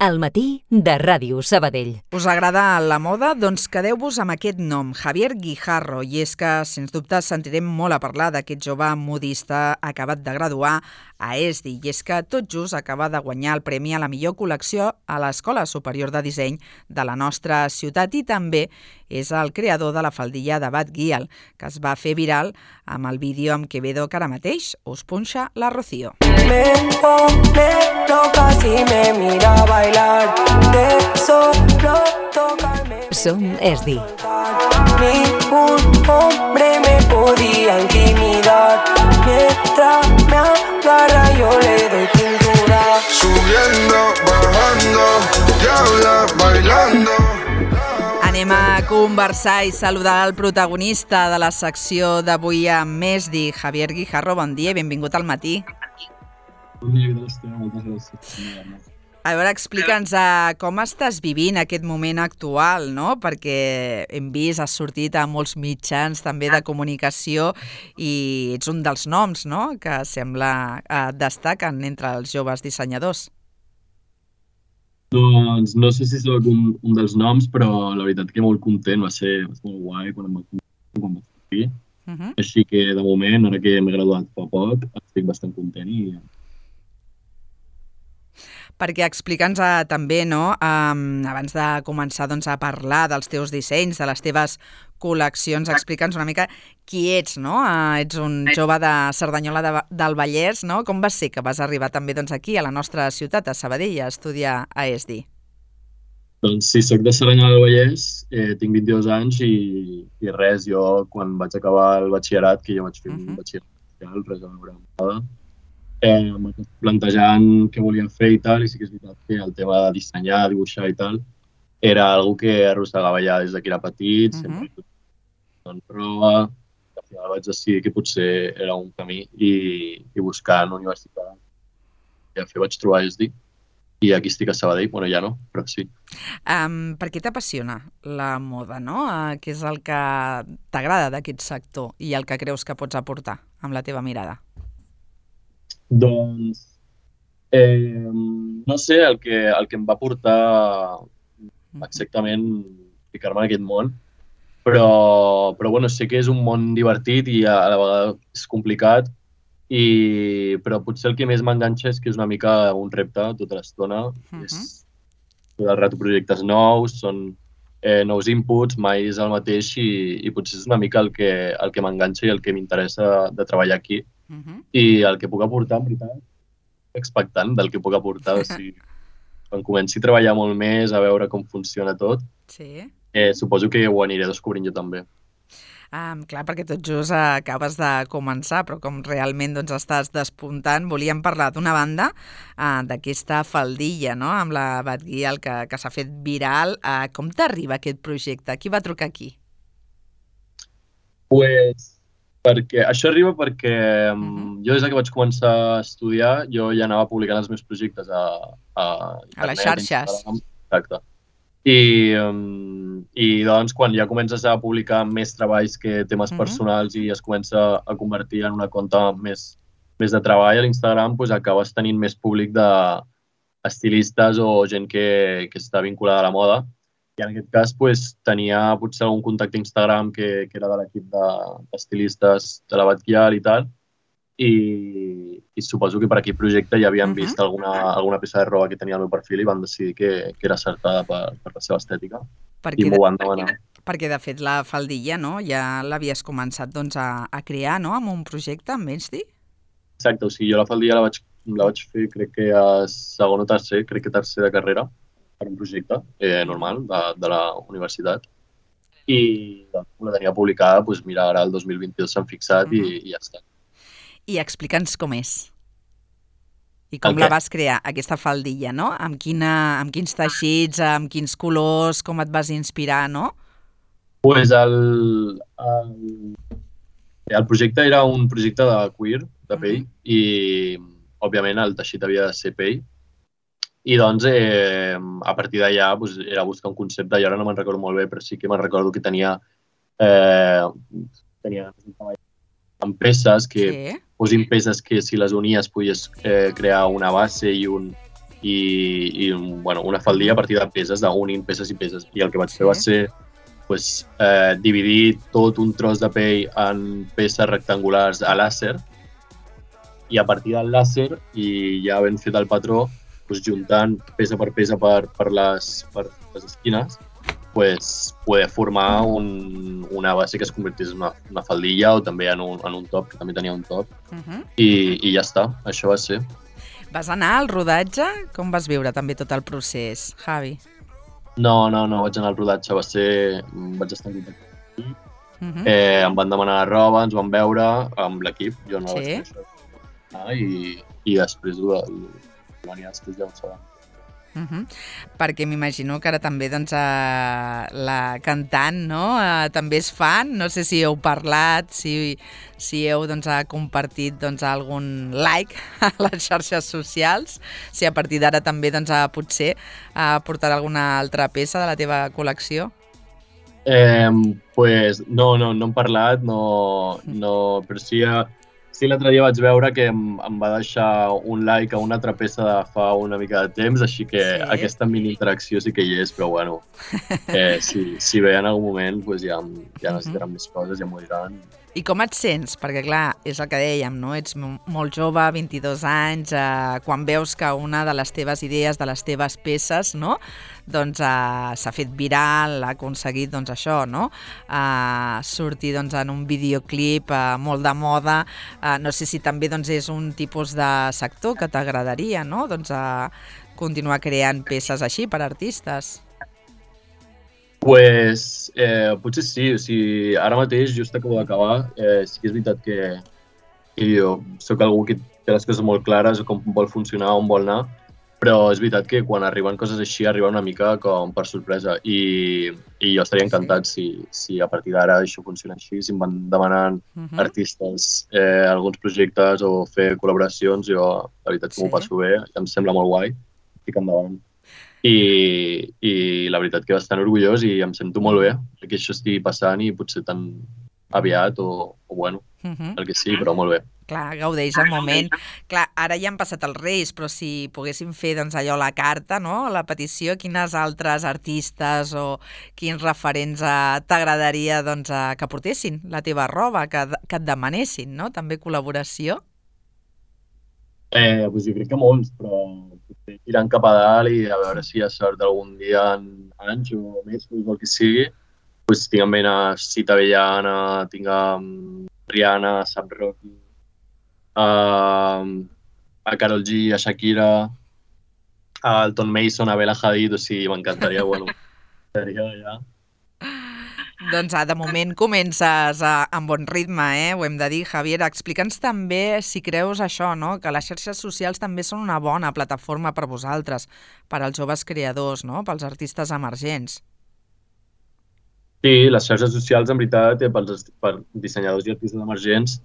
Al matí de Ràdio Sabadell. Us agrada la moda? Doncs quedeu-vos amb aquest nom, Javier Guijarro, i és que, sens dubte, sentirem molt a parlar d'aquest jove modista acabat de graduar a ESDI, i és que tot just acaba de guanyar el premi a la millor col·lecció a l'Escola Superior de Disseny de la nostra ciutat i també és el creador de la faldilla de Bad Gyal, que es va fer viral amb el vídeo amb Quevedo que ara mateix us punxa la Rocío. Me pone loca si me mira bailar, de solo tocarme. Som ESDI. Ningún hombre me podía intimidar, mientras me agarra yo le doy pintura. Subiendo, bajando, diabla, bailando. Anem a conversar i saludar el protagonista de la secció d'avui amb ESDI, Javier Guijarro. Bon dia i benvingut al matí. Bon dia, moltes gràcies. A veure, explica'ns com estàs vivint aquest moment actual, no? Perquè hem vist, has sortit a molts mitjans també de comunicació i ets un dels noms, no?, que sembla destaquen entre els joves dissenyadors. Doncs no sé si soc un dels noms, però la veritat que molt content, va ser molt guai quan em va sortir. Així que de moment, ara que m'he graduat fa poc, estic bastant content i... Perquè explica'ns també, no?, abans de començar a parlar dels teus dissenys, de les teves col·leccions, explica'ns una mica qui ets, no? Ets un jove de Cerdanyola del Vallès, no? Com va ser que vas arribar també aquí, a la nostra ciutat, a Sabadell, a estudiar a ESDI? Doncs sí, soc de Cerdanyola del Vallès, tinc 22 anys i res, jo quan vaig acabar el batxillerat, que jo vaig fer un batxillerat, res a veure amb nada, plantejant què volia fer i tal, i sí que és veritat que el tema de dissenyar, dibuixar i tal, era algo que arrossegava ja des que era petit, sempre en prova, al final vaig decidir que potser era un camí i buscant universitat. I al fi vaig trobar ESDI i aquí estic a Sabadell, bueno ja no, però sí. Per què t'apassiona la moda, no? Què és el que t'agrada d'aquest sector i el que creus que pots aportar amb la teva mirada? Doncs, no sé, el que em va portar exactament ficar-me en aquest món, però bueno, sé que és un món divertit i a la vegada és complicat, però potser el que més m'enganxa és que és una mica un repte tota l'estona. És tot el rato projectes nous, són nous inputs, mai és el mateix i potser és una mica el que m'enganxa i el que m'interessa de treballar aquí. I el que puc aportar, en veritat, expectant del que puc aportar. O sigui, quan comenci a treballar molt més, a veure com funciona tot, suposo que ho aniré descobrint jo també. Clar, perquè tot just acabes de començar, però com realment estàs despuntant, volíem parlar d'una banda, d'aquesta faldilla, no?, amb la Bad Gyal que s'ha fet viral. Com t'arriba aquest projecte? Qui va trucar aquí? Això arriba perquè jo des que vaig començar a estudiar jo ja anava publicant els meus projectes a internet, les xarxes. Exacte. I doncs quan ja comences a publicar més treballs que temes personals i es comença a convertir en una conta més de treball a l'Instagram, doncs acabes tenint més públic d'estilistes o gent que està vinculada a la moda. I en aquest cas tenia potser algun contacte a Instagram que era de l'equip d'estilistes de la Bad Gyal i tal, i suposo que per aquell projecte ja havien vist alguna peça de roba que tenia al meu perfil i van decidir que era acertada per la seva estètica i m'ho van demanar. Perquè de fet la faldilla, no?, ja l'havies començat a crear, no?, amb un projecte amb ESDI? Exacte, o sigui, jo la faldilla la vaig fer crec que a segon o tercer, crec que tercer de carrera, per un projecte normal de la universitat i la tenia publicada, doncs mira, ara el 2022 s'han fixat i ja està. I explica'ns com és i com la vas crear, aquesta faldilla, no? Amb quins teixits, amb quins colors, com et vas inspirar, no? Doncs el projecte era un projecte de cuir, de pell, i òbviament el teixit havia de ser pell. I doncs, a partir d'allà, era buscar un concepte, i ara no me'n recordo molt bé, però sí que me'n recordo que tenia amb peces, que posin peces que si les unies podies crear una base i i bueno, una faldilla a partir de peces, d'unint peces i peces. I el que vaig fer va ser dividir tot un tros de pell en peces rectangulars a làser i a partir del làser i ja ben fet el patró, juntant peça per peça per les esquines, poder formar una base que es convertís en una faldilla o també en un top, que també tenia un top. I ja està, això va ser. Vas anar al rodatge? Com vas viure també tot el procés, Javi? No vaig anar al rodatge, vaig estar en contacte. Em van demanar roba, ens van veure amb l'equip, jo no vaig fer això. I després després ja ho sabem. Perquè m'imagino que ara també doncs, la cantant, no? També és fan, no sé si heu parlat, si heu doncs, compartit doncs, algun like a les xarxes socials, si a partir d'ara també doncs, potser portarà alguna altra peça de la teva col·lecció. No hem parlat, però sí l'altre dia vaig veure que em va deixar un like a una altra peça de fa una mica de temps, així que aquesta mini interacció sí que hi és, però bueno, si ve en algun moment ja necessitaran més coses, ja m'ho diran. I com et sents? Perquè clar, és el que dèiem, no? Ets molt jove, 22 anys, quan veus que una de les teves idees, de les teves peces, no? Doncs s'ha fet viral, ha aconseguit doncs, això, no? Sortir doncs, en un videoclip molt de moda. No sé si també doncs, és un tipus de sector que t'agradaria, no? Doncs, continuar creant peces així per artistes. Potser sí, o sigui, ara mateix, just acabo d'acabar, sí que és veritat que jo soc algú que té les coses molt clares, com vol funcionar, on vol anar, però és veritat que quan arriben coses així arriba una mica com per sorpresa i jo estaria encantat si a partir d'ara això funciona així, si em van demanant artistes alguns projectes o fer col·laboracions, jo la veritat que m'ho passo bé, em sembla molt guai, estic endavant. I la veritat que bastant orgullós i em sento molt bé que això estigui passant i potser tan aviat o bueno, el que sigui, però molt bé. Clar, gaudeix el moment. Clar, ara ja han passat els Reis, però si poguéssim fer doncs, allò la carta, no? La petició, quines altres artistes o quins referents t'agradaria doncs, que portessin la teva roba, que et demanessin, no? També col·laboració? Jo crec que molts, però tirant cap a dalt i a veure si hi ha sort algun dia en anys o més, o el que sigui. Tinc en ment a Sita Avellana, tinc a Rihanna, a Sam Rocky, a Karol G, a Shakira, a Alton Mason, a Bella Hadid, o sigui, m'encantaria, bueno, seria ja... Doncs de moment comences amb bon ritme, ho hem de dir. Javier, explica'ns també si creus això, no? Que les xarxes socials també són una bona plataforma per vosaltres, per als joves creadors, no? Pels artistes emergents. Sí, les xarxes socials, en veritat, per dissenyadors i artistes emergents,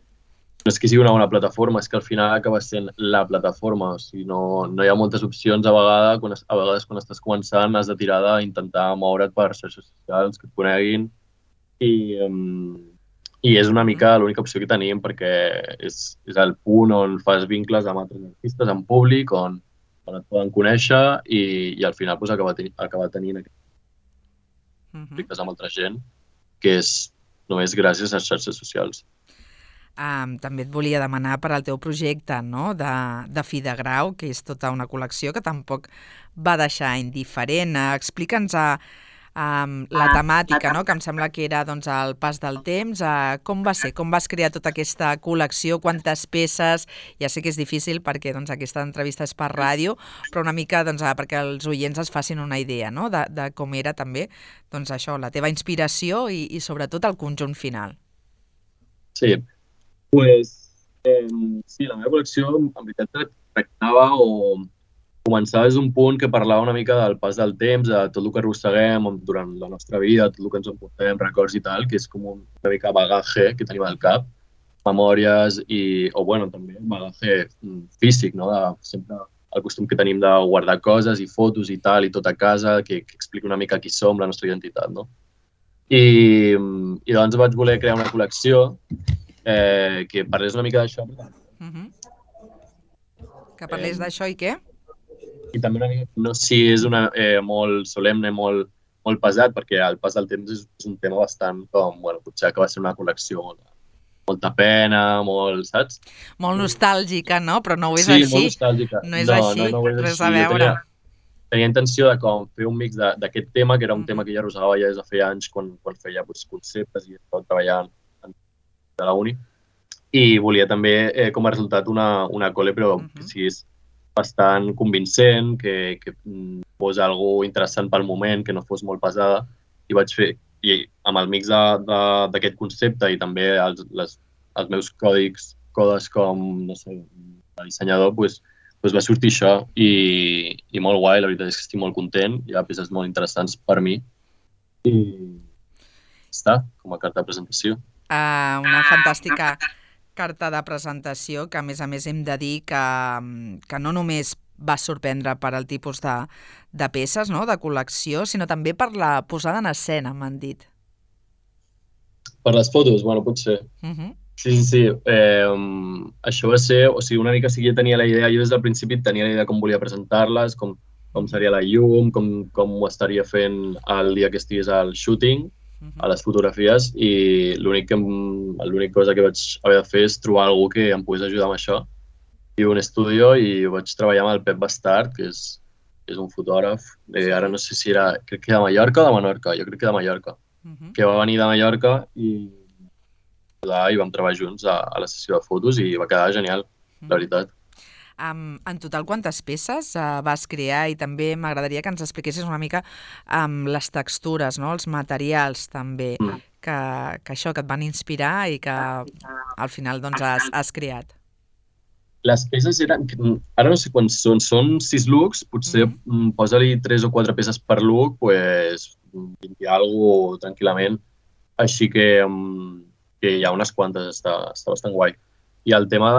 no és que sigui una bona plataforma, és que al final acaba sent la plataforma. O sigui, no hi ha moltes opcions a vegades quan estàs començant has de tirar d'intentar moure't per xarxes socials que et coneguin i és una mica l'única opció que tenim perquè és el punt on fas vincles amb altres artistes, en públic, on et poden conèixer i al final acaba tenint aquests conflictes amb altra gent que és només gràcies a les xarxes socials. També et volia demanar per al teu projecte, no? de Fi de Grau, que és tota una col·lecció que tampoc va deixar indiferent. Explica'ns la temàtica, no? Que em sembla que era doncs, el pas del temps. Com va ser? Com vas crear tota aquesta col·lecció? Quantes peces? Ja sé que és difícil perquè doncs, aquesta entrevista és per ràdio, però una mica doncs, perquè els oients es facin una idea, no? de com era també doncs, això, la teva inspiració i sobretot el conjunt final. Sí, sí, la meva col·lecció en veritat tractava o començava des d'un punt que parlava una mica del pas del temps, de tot el que arrosseguem durant la nostra vida, tot el que ens emportem, records i tal, que és com una mica bagaje que tenim al cap, memòries o bueno, també bagaje físic, no? Sempre el costum que tenim de guardar coses i fotos i tal, i tot a casa, que explica una mica qui som, la nostra identitat, no? I doncs vaig voler crear una col·lecció que parlés una mica d'això. Que parlés d'això i què? I també una mica, no sé si és molt solemne, molt pesat, perquè el pas del temps és un tema bastant com, bueno, potser que va ser una col·lecció molta pena, saps? Molt nostàlgica, no? Però no ho és Sí, així. molt nostàlgica. No és així, ho és res així. a veure. Tenia intenció de com fer un mix d'aquest tema, que era un tema que ja arrossegava ja des de feia anys quan feia conceptes i estava treballant de la uni. I volia també, com a resultat, una col·le, però que siguis bastant convincent, que fos algo interessant pel moment, que no fos molt pesada. I vaig fer, i amb el mix d'aquest concepte i també els meus codes com, no sé, de dissenyador, doncs va sortir això i molt guai, la veritat és que estic molt content, hi ha peces molt interessants per mi i està, com a carta de presentació. Una fantàstica carta de presentació que a més hem de dir que no només va sorprendre per al tipus de peces, no?, de col·lecció, sinó també per la posada en escena, m'han dit. Per les fotos? Bueno, potser. Sí. Això va ser, o sigui, una mica sí que ja tenia la idea, jo des del principi tenia la idea com volia presentar-les, com seria la llum, com ho estaria fent el dia que estigués al shooting, a les fotografies, i l'única cosa que vaig haver de fer és trobar algú que em pogués ajudar amb això. I un estudi i vaig treballar amb el Pep Bastard, que és un fotògraf, ara no sé si era, crec que de Mallorca o de Menorca, jo crec que de Mallorca, que va venir de Mallorca i vam treballar junts a la sessió de fotos i va quedar genial, la veritat. En total, quantes peces vas crear? I també m'agradaria que ens expliquessis una mica les textures, no?, els materials també, que això, que et van inspirar i que al final doncs has creat. Les peces eren, ara no sé quants són 6 looks, potser posa-li 3 o 4 peces per look, doncs 20 i alguna cosa tranquil·lament, així que hi ha unes quantes, està bastant guai. I el tema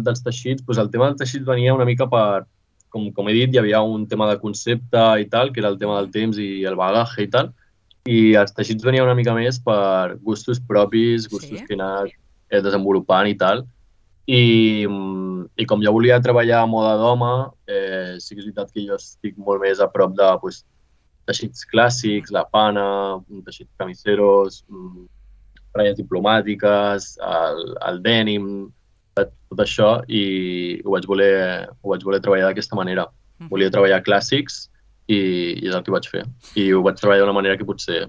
dels teixits, doncs el tema dels teixits venia una mica per, com he dit, hi havia un tema de concepte i tal, que era el tema del temps i el bagaje i tal, i els teixits venia una mica més per gustos propis, gustos que he anat desenvolupant i tal. I com jo volia treballar a moda d'home, sí que és veritat que jo estic molt més a prop de teixits clàssics, la pana, teixits camiseros, ratlles diplomàtiques, el denim, tot això, i ho vaig voler treballar d'aquesta manera. Volia treballar clàssics i és el que vaig fer. I ho vaig treballar d'una manera que potser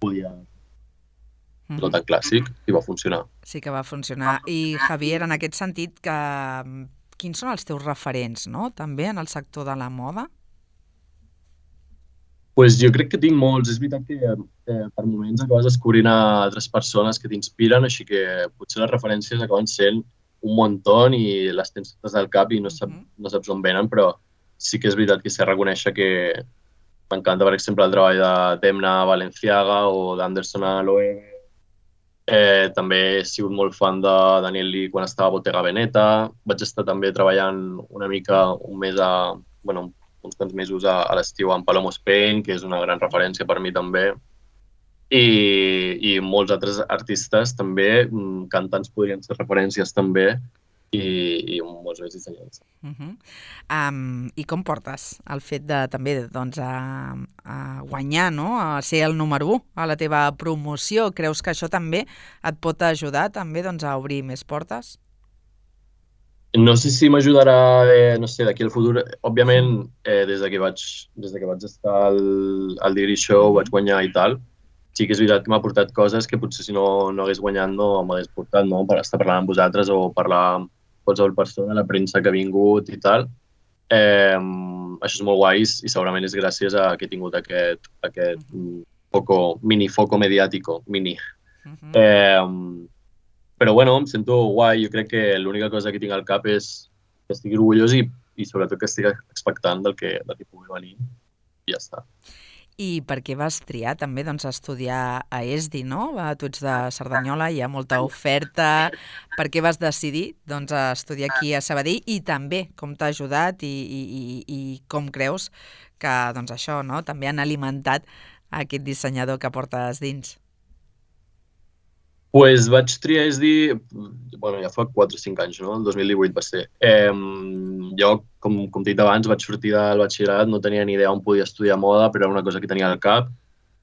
podia no tan clàssic i va funcionar. Sí que va funcionar. I Javier, en aquest sentit, quins són els teus referents, no?, també en el sector de la moda? Pues jo crec que tinc molts. És veritat que per moments acabes descobrint altres persones que t'inspiren, així que potser les referències acaben sent un muntó i les tens totes al cap i no saps on venen, però sí que és veritat que sé reconèixer que m'encanta, per exemple, el treball de Demna Balenciaga o d'Anderson Loewe. També he sigut molt fan de Daniel Lee quan estava a Bottega Veneta. Vaig estar també treballant una mica, uns quants mesos a l'estiu amb Palomo Spain, que és una gran referència per mi també. I molts altres artistes també, cantants podrien ser referències també, i molts més dissenyants. I com portes el fet de també a guanyar, no?, a ser el número 1 a la teva promoció? Creus que això també et pot ajudar també a obrir més portes? No sé si m'ajudarà, no sé, d'aquí al futur. Òbviament, des que vaig estar al Digri Show, vaig guanyar i tal, sí que és veritat que m'ha portat coses que potser si no hagués guanyat no m'hagués portat, no?, per estar parlant amb vosaltres o parlar amb qualsevol persona, la premsa que ha vingut i tal. Això és molt guai i segurament és gràcies a que he tingut aquest mini foco mediàtico, Però bueno, em sento guai. Jo crec que l'única cosa que tinc al cap és que estigui orgullós i sobretot que estigui expectant del que pugui venir i ja està. I per què vas triar també estudiar a ESDI, no? Tu ets de Cerdanyola, hi ha molta oferta. Per què vas decidir estudiar aquí a Sabadell i també com t'ha ajudat i com creus que això, no?, també han alimentat aquest dissenyador que portes dins? Pues vaig triar SD, bueno, ja fa 4 o 5 anys, no? El 2018 va ser. Jo, com t'he dit abans, vaig sortir del batxillerat, no tenia ni idea on podia estudiar moda, però era una cosa que tenia al cap.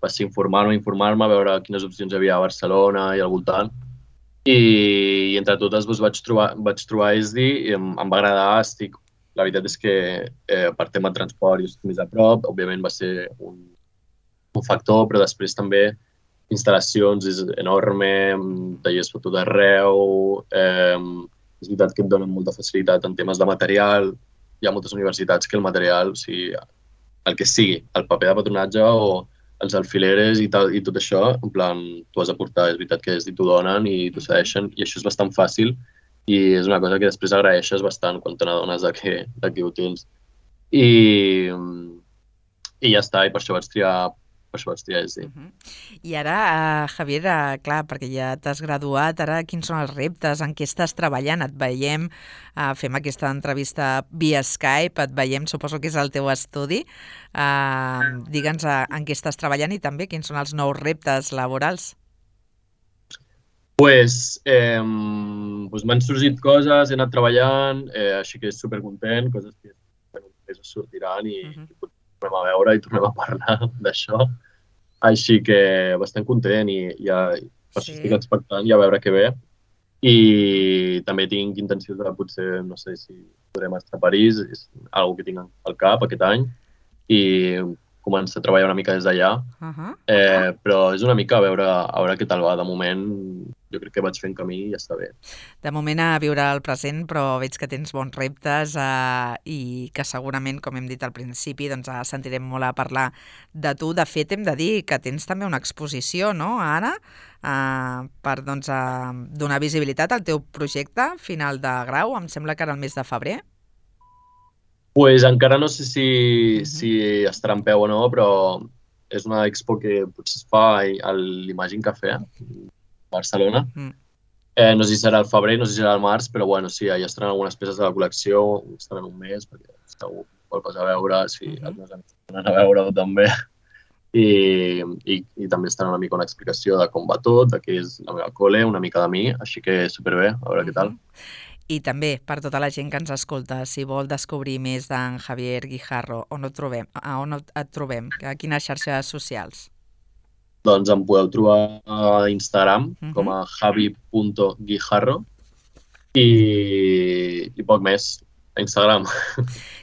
Va ser informar-me, veure quines opcions hi havia a Barcelona i al voltant. I entre totes doncs, vaig trobar SD i em va agradar. La veritat és que per tema de transport jo estic més a prop, òbviament va ser un factor, però després també instal·lacions és enorme, tallers per tot arreu, és veritat que et donen molta facilitat en temes de material, hi ha moltes universitats que el material, o sigui, el que sigui, el paper de patronatge o els alfileres i tot això, en plan, tu has de portar, és veritat que t'ho donen i t'ho cedeixen, i això és bastant fàcil i és una cosa que després agraeixes bastant quan te n'adones de que ho tens. I ja està, i per això vaig triar SD. I ara, Javier, clar, perquè ja t'has graduat, ara quins són els reptes, en què estàs treballant? Et veiem, fem aquesta entrevista via Skype, et veiem, suposo que és el teu estudi. Digue'ns en què estàs treballant i també quins són els nous reptes laborals. Pues m'han sorgit coses, he anat treballant, així que és supercontent, coses que després sortiran i tornem a veure i tornem a parlar d'això. Així que bastant content i ja per això estic expectant ja a veure què ve. I també tinc intenció de potser, no sé si podrem estar a París, és una que tinc al cap aquest any, i començar a treballar una mica des d'allà. Però és una mica a veure què tal va. De moment jo crec que vaig fent camí i ja està bé. De moment a viure el present, però veig que tens bons reptes i que segurament, com hem dit al principi, doncs sentirem molt a parlar de tu. De fet, hem de dir que tens també una exposició, no?, ara, per donar visibilitat al teu projecte final de grau, em sembla que era el mes de febrer. Pues encara no sé si estarà en peu o no, però és una expo que potser es fa a l'Imagine Café, a Barcelona. No sé si serà al febrer, no sé si serà al març, però bueno, sí, ja estaran algunes peces de la col·lecció, estaran un mes, perquè segur vol passar a veure, si els meus amics estaran a veure-ho també. I també estarà una mica una explicació de com va tot, de què és la meva col·le, una mica de mi, així que superbé, a veure què tal. I també, per tota la gent que ens escolta, si vol descobrir més d'en Javier Guijarro, on et trobem? A quines xarxes socials? Doncs em podeu trobar a Instagram com a javi.guijarro i poc més a Instagram.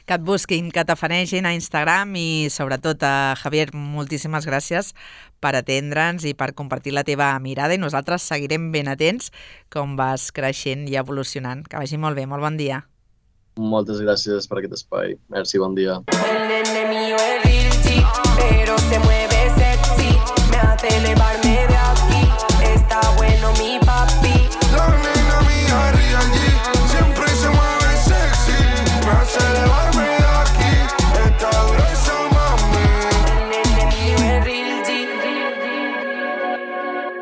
Que et busquin, que t'afanegin a Instagram i sobretot, Javier, moltíssimes gràcies per atendre'ns i per compartir la teva mirada i nosaltres seguirem ben atents com vas creixent i evolucionant. Que vagi molt bé, molt bon dia. Moltes gràcies per aquest espai. Merci, bon dia. El nene mío es Rilchi, pero se mueve sexy, me hace elevarme de aquí, está bueno mi papi. La nena mía Real G, siempre se mueve sexy, me hace elevarme de aquí, está dura esa mami. El nene mío es Real G.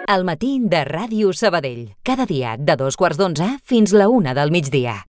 Al matí de Ràdio Sabadell. Cada dia de 2:15 fins la 1 del migdia.